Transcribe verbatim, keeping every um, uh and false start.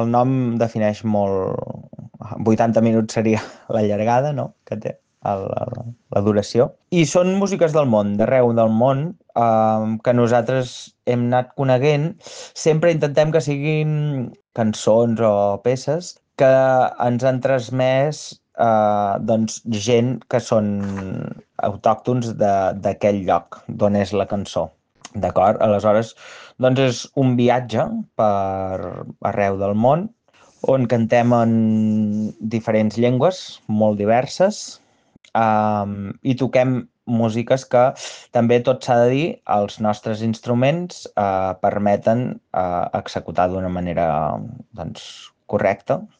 el nom defineix molt... vuitanta minuts seria la llargada, no?, que té el, el, la duració. I són músiques del món, d'arreu del món, eh, que nosaltres hem anat coneguent. Sempre intentem que siguin cançons o peces que ens han transmès eh, doncs, gent que són autòctons de- d'aquell lloc d'on és la cançó. D'acord? Aleshores, doncs és un viatge per arreu del món on cantem en diferents llengües molt diverses, um, i toquem músiques que també, tot s'ha de dir, els nostres instruments uh, permeten uh, executar d'una manera doncs, correcta.